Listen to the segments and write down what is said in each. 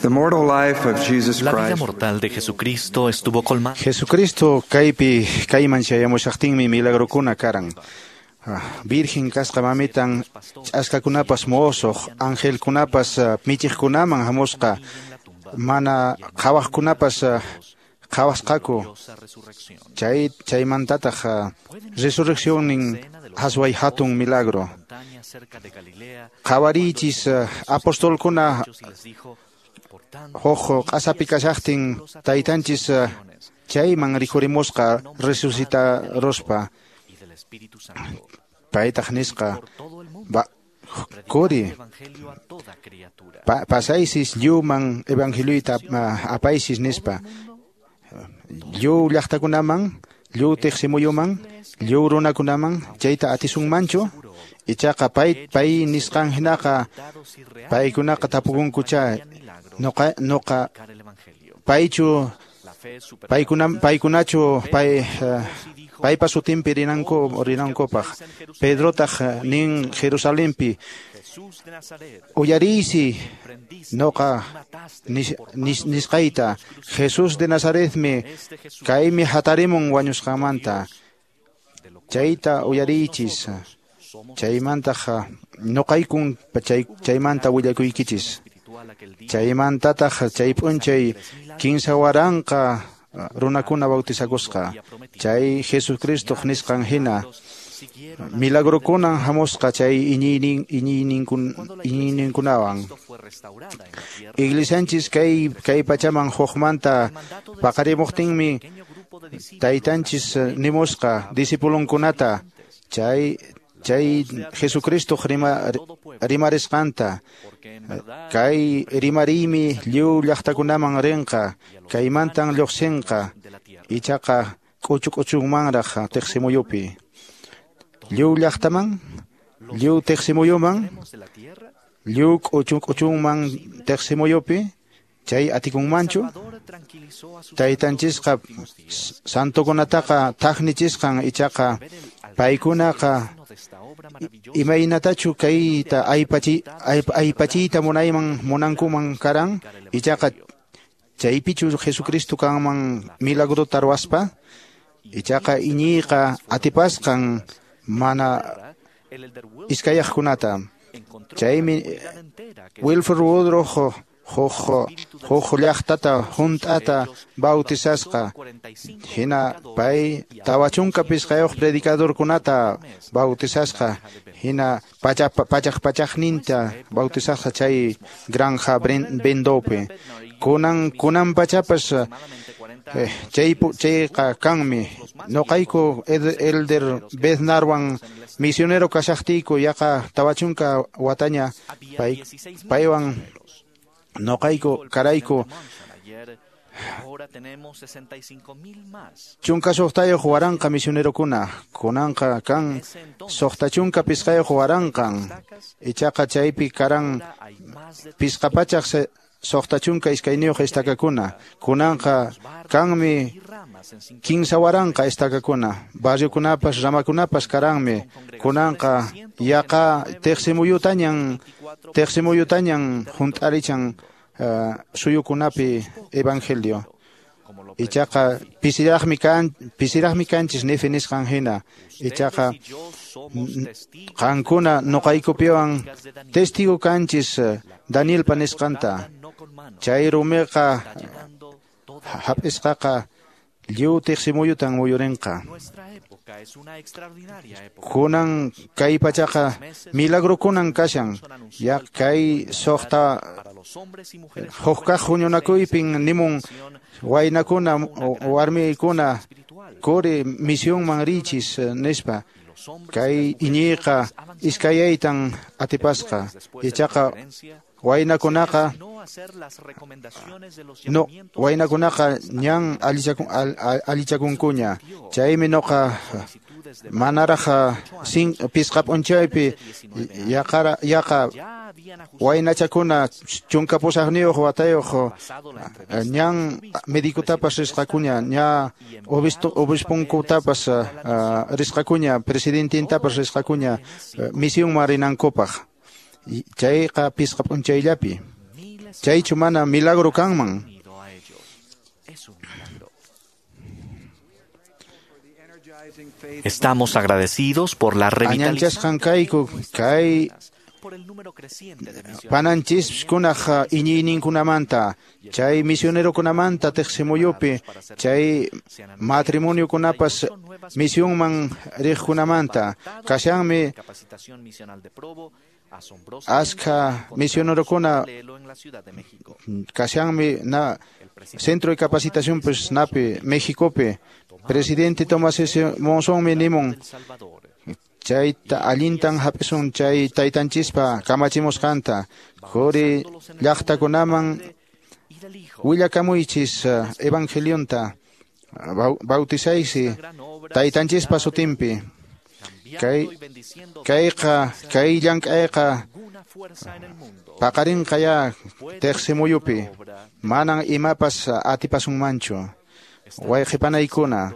The mortal life of Jesus La vida Christ mortal de Jesucristo estuvo colmada. Jesucristo kaypi kayman chayamushaqtinmi milagrokuna karan. Virgen kasqa mamitan ch'askakunapas mosoq, angelkunapas michiqkunaman hamusqa, mana qhawaqkunapas qhawasqaku. Chay chaymantataq resurreccionnin hasway hatun milagro. Qhawariychis apostolkuna huk q'asapi kashaqtin taytanchis chayman rikhurimusqa resucitaruspa. Paytaq nisqa kuri pasaysis lliwman evangelioyta apaysis nispa. Lliw llaqtakunaman, lliw tiqsimuyuman, lliw runakunaman chayta atisunmanchu. Ichaqa pay nisqan hinaqa paykunaqa tapukunkucha noqa paychu paykunachu paypa sutinpi rinankupaq. Pedrotaq nin Jerusalenpi uyariysi noqa nisqayta Jesús de Nazaretmi kaymi hatarimun wañusqanmanta chayta uyariychis. Chaymantaq noqaykun chaymanta willakuykichis. Chaymantataq chay p'unchay 15,000 runakuna bautizakusqa. Chay Jesucristoq nisqan hina milagrokunan hamusqa chay iñiyninkunawan. Iglesianchis kay pachaman hukmanta paqarimuqtinmi taytanchis nimusqa discipulunkunata chay Jesucristo rimarisqanta kay rimariymi lliw llaqtakunaman rinqa kaymantan lluqsinqa ichaqa k'uchu k'uchunmanraq tiqsimuyupi lliw llaqtaman lliw tiqsimuyuman lliw k'uchu k'uchunman tiqsimuyupi chay atikunmanchu. Taytanchisqa santokunataqa thaqnichisqan ichaqa paykunaqa imaynatachu kayta aypachiyta munankuman karan ichaqa chaypichu Jesucristo kanman milagrota ruwaspa ichaqa iñiyqa atipasqan mana iskayaqkunata. Chaymi Wilford Woodruff huk llaqtata hunt'ata bautizasqa hina pay 45 predicadorkunata bautizasqa hina pachaq pachaqninta bautizasqa chay granja Bendopi. Kunan pachapas chayqa kanmi. Noqayku Elder Bednarwan misionero kashaqtiyku yaqa 40 wataña paywan noqayku karayku 16,000 misionerokuna kunanqa kan 65,000 ichaqa chaypi karan 562 estakakuna kunanqa kanmi 15,000 estakakuna barriokunapas ramakunapas karanmi kunanqa yaqa tiqsimuyutañan hunt'arichan suyukunapi evangelio. Ichaqa pisiraqmi kanchis Nefi nisqan hina ichaqa qankuna noqaykupiwan testigo kanchis Danielpa nisqanta chay rumiqa hap'isqaqa lliw tiqsimuyutan muyurinqa. Kunan kay pachaqa milagrokunan kashan ya kay suqta hukkaq huñunakuypin nimun waynakuna warmikuna kuri misionman richis nispa kay iñiyqa iskayaytan atipasqa ichaqa waynakunaqa no waynakunaqa ñan allichakunkuña chaymi noqa manaraq pisqa p'unchaypi yaqa waynachakuna 18 watayuq ñan medicutapas risqakuña ña obispunkutapas risqakuña presidentintapas risqakuña misionman rinankupaq. Chayqa pisqa p'unchayllapi. Chaychu mana milagro kanman. Estamos agradecidos por la Añanchasqan kayku kay pananchiskunaq iñiyninkunamanta, chay misionerokunamanta teqsimuyupi, chay matrimoniokunapas misionman riqkunamanta. Kashanmi askha misionerokuna, kashanmi na Centro de Capacitación pues napi Mexicopi. Presidente Tomás S. Monzonmi nimun chayta allintan hap'isun chay taytanchispa kamachimusqanta. Quri llaqtakunaman willakamuychis evangelionta, bautizaysi taytanchispa sutinpi. Kayqa kay llank'ayqa paqarinqa ya teqsimuyupi, manan imapas atipasunmanchu. Wayqipanaykuna,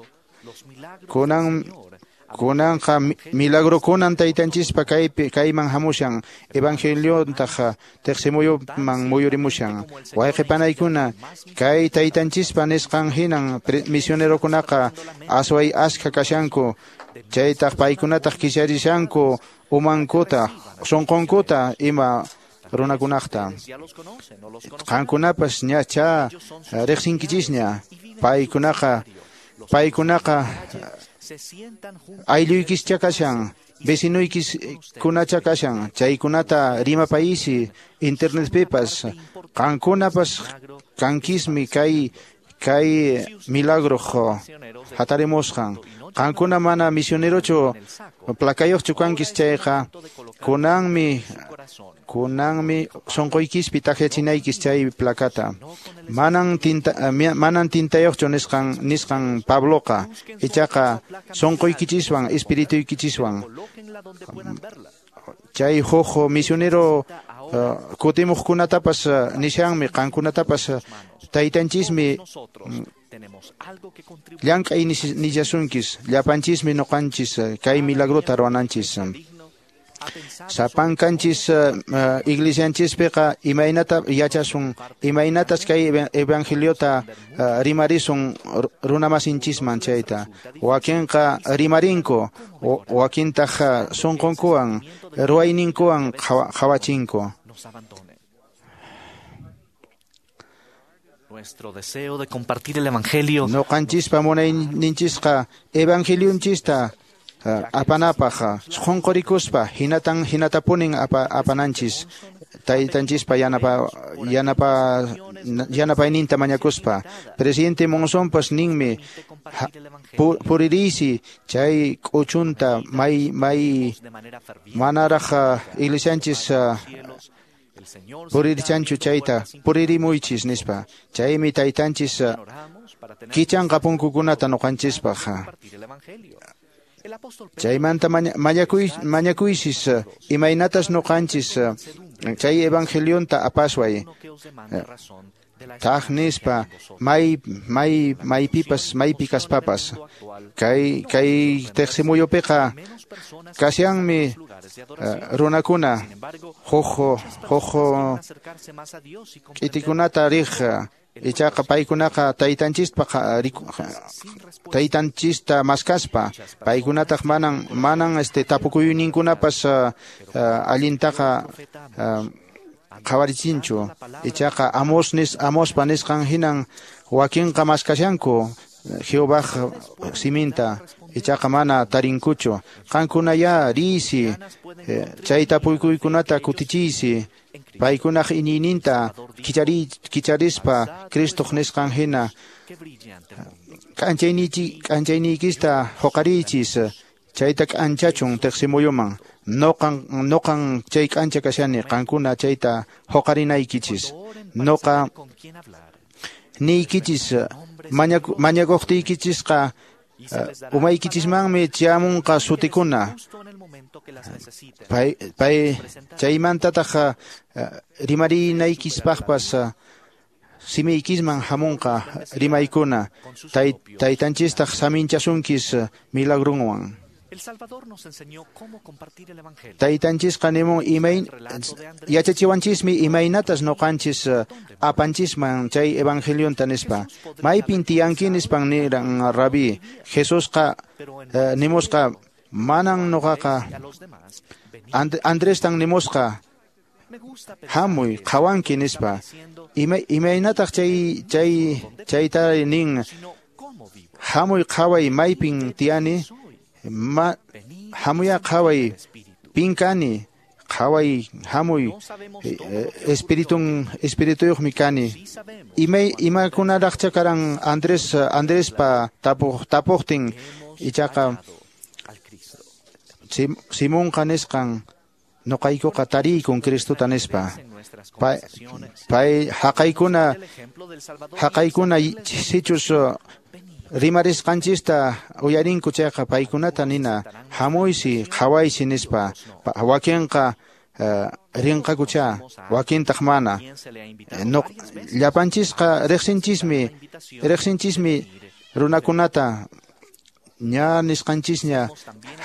kunanqa milagrokunan taytanchispa kaypi kayman hamushan, evangeliontaq teqsimuyuman muyurimushan. Wayqipanaykuna, kay taytanchispa nisqan hinan misionerokunaqa asway askha kashanku, chaytaq paykunataq kicharishanku umankuta, sunqunkuta ima runakunaqta. Qankunapas ñacha riqsinkichisña, paykunaqa aylluykischá kashan, vecinoykiskunacha kashan, chaykunata rimapayisi internetpipas. Qankunapas kankismi kay milagro hatarimusqan. Qankuna mana misionerochu placayuqchu kankis chayqa, kunanmi sunquykispi takyachinaykis chay placata. Manan tintayuqchu nisqan Pabloqa, ichaqa sunquykichiswan espirituykinchiswan. Chay huk misionero kutimuqkunatapas nishanmi, qankunatapas taytanchismi llank'ay nillasunkis, llapanchismi noqanchis kay milagrota ruwananchis. Sapankanchis iglesianchispiqa imaynata yachasun, imaynatas kay evangeliota rimarisun runamasinchisman chayta. Wakinqa rimarinku, wakintaq sunqunkuwan, ruwayninkuwan qhawachinku. Nuestro deseo de compartir el evangelio. Noqanchispa munayninchisqa evangelionchista apanapaq sunqurikuspa hinatan hinatapunin apananchis, taytanchispa yanapayninta mañakuspa. Presidente Monzonpas ninmi puririysi chay k'uchunta may manaraq iglesianchis puririchanchu chayta puririmuychis nispa. Chaymi taytanchis kichanqa punkukunata noqanchispaq. Chaymanta mañakuysis imaynatas noqanchis chay evangelionta apasway taq nispa maypipas maypi kaspapas. Kay teqsimuyupiqa kashanmi runakuna huk k'itikunata riq, ichaqa paykunaqa taytanchista maskaspa, paykunataq manan tapukuyninkunapas allintaqa qhawarichinchu. Ichaqa Amospa nisqan hinan wakinqa maskashanku Jehovaj siminta, ichaqa mana tarinkuchu. Qankunaya riysi, chay tapukuykunata kutichiysi, paykunaq iñiyninta kicharispa Cristoq nisqan hina k'anchayniykista huqariychis, chayta k'anchachun teqsimuyuman. Noqan chay k'ancha kashani, qankuna chayta huqarinaykichis. Noqa niykichis mañakuqtiykichisqa umaykichismanmi chamunqa sutikuna. Pay chaymantataq rimarinaykispaqpas simiykisman hamunqa rimaykuna. Taytanchistaq saminchasunkis milagrunwan. Taytanchisqa nimun yachachiwanchismi imaynatas noqanchis apanchisman chay evangelionta nispa. Maypin tiyanki nispan niran Rabí. Jesusqa nimusqa manan noqaqa Andrestan nimusqa hamuy qhawanki nispa. Imaynataq chayta nin hamuy qhaway maypin tiyani, hamuya qhaway pin kani, qhaway hamuy espirituyuqmi kani. Imakunaraqcha karan Andrespa tapuqtin ichaqa Simonqa nisqan noqaykuqa tariykun Cristota nispa. Pay haqaykuna sichus rimarisqanchista uyarinku chayqa paykunata nina hamuysi qhawaysi nispa. Wakinqa rinqakucha, wakintaq mana. Llapanchisqa riqsinchismi runakunata ña nisqanchisña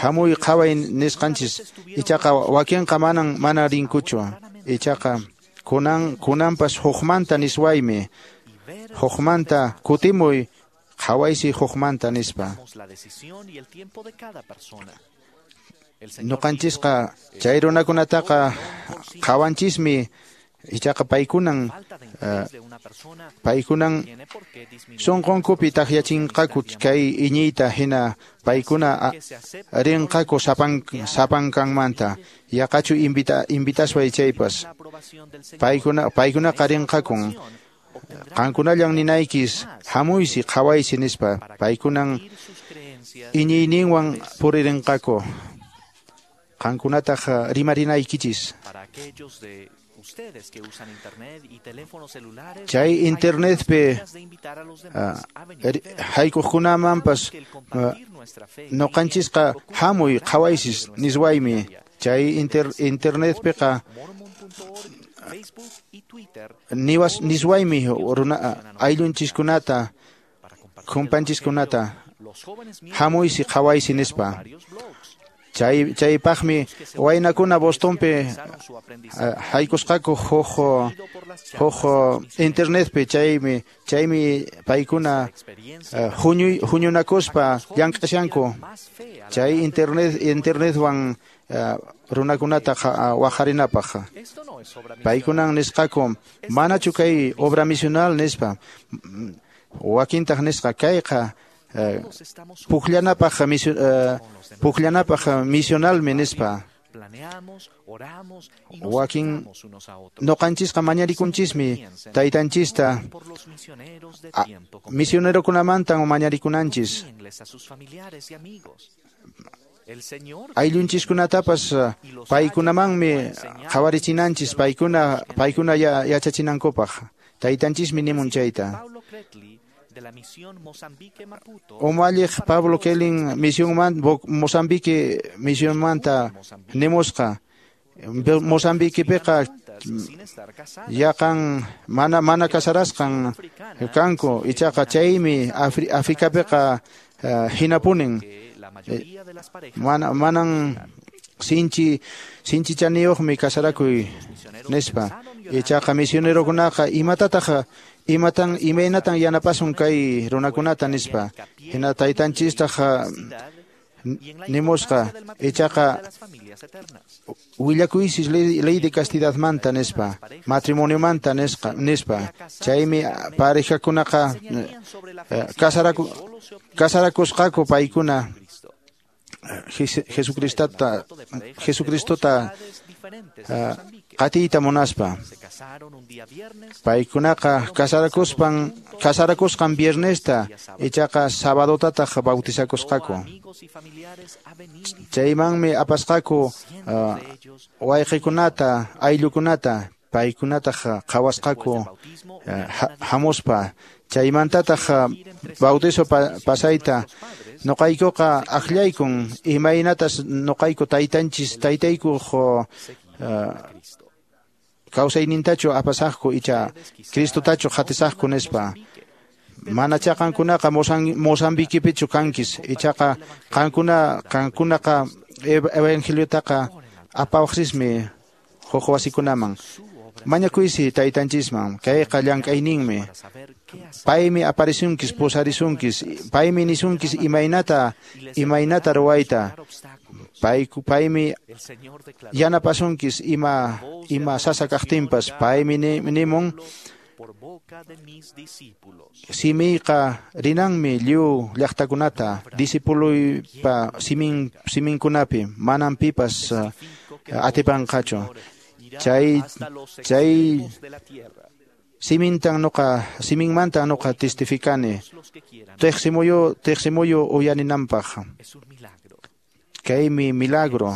hamuy qhaway nisqanchis, ichaqa wakinqa mana rinkuchu. Ichaqa kunanpas hukmanta niswaymi, hukmanta kutimuy qhawaysi hukmanta nispa. Noqanchisqa chay runakunataqa qhawanchismi, ichaqa paykunan sunqunkupi takyachinqaku kay iñiyta hina paykuna rinqaku sapankanmanta. Yaqachu invitasway chaypas paykunaqa rinqakun. Qankunallan ninaykis hamuysi qhawaysi nispa. Paykunan iñiyninwan puririnqaku. Qankunataq rimarinaykichis. Chay internetpi haykuqkunamanpas noqanchisqa hamuy qhawaysis niswaymi. Chay internetpiqa niswaymi ayllunchiskunata kumpanchiskunata hamuysi qhawaysi nispa. Chaypaqmi waynakuna Bostonpi haykusqaku huk internetpi, chaymi paykuna huñunakuspa llank'ashanku. Chay internetwan runakunata waqharinapaq. Paykunan nisqaku manachu kay obra misional nispa. Wakintaq nisqa kayqa pukllanapaq misionalmi nispa. Wakin noqanchisqa mañarikunchismi taytanchista misionerokunamantan mañarikunanchis. Ayllunchiskunatapas paykunamanmi qhawarichinanchis paykuna yachachinankupaq. Taytanchismi nimun chayta. Umalliq Pablo Kelin Mozambique misionmanta nimusqa. Mozambiquepiqa yaqan mana casarasqan kanku, ichaqa chaymi Africapiqa hinapunin. Manan sinchi chaniyuqmi casarakuy nispa. Ichaqa misionerokunaqa imatataq imaynatan yanapasun kay runakunata nispa. Hina taytanchistaq nimusqa ichaqa willakuysis ley de castidadmanta nispa, matrimoniomanta nispa. Chaymi parejakunaqa casarakusqaku paykuna Jesucristota qatiyta munaspa. Paykunaqa casarakusqan viernesta, ichaqa sabadotataq bautizakusqaku. Chaymanmi apasqaku wayqikunata, ayllukunata, paykunataq qhawasqaku hamuspa. Chaymantataq bautizo pasayta noqaykuqa akllaykun imaynatas noqayku taytanchis taytaykuq kawsaynintachu apasaqku icha Cristotachu qatisaqku nispa. Manacha qankunaqa Mozambiquipichu kankis, ichaqa qankunaqa evangeliotaqa apawaqsismi huk wasikunaman. Mañakuysi taytanchisman, kayqa llank'ayninmi. Paymi aparisunkis, pusarisunkis, paymi nisunkis imaynata ruwayta. Paymi yanapasunkis ima sasa kaqtinpas, paymi nimun simiyqa rinanmi lliw llaqtakunata, discipuluypa siminkunapi, manan pipas atipanqachu. Chay siminmantan nuqa testificani. Teqsimuyu uyaninanpaq. Kaymi milagro.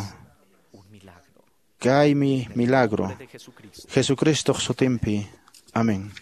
Kaymi milagro. Jesucristoq sutinpi. Amén.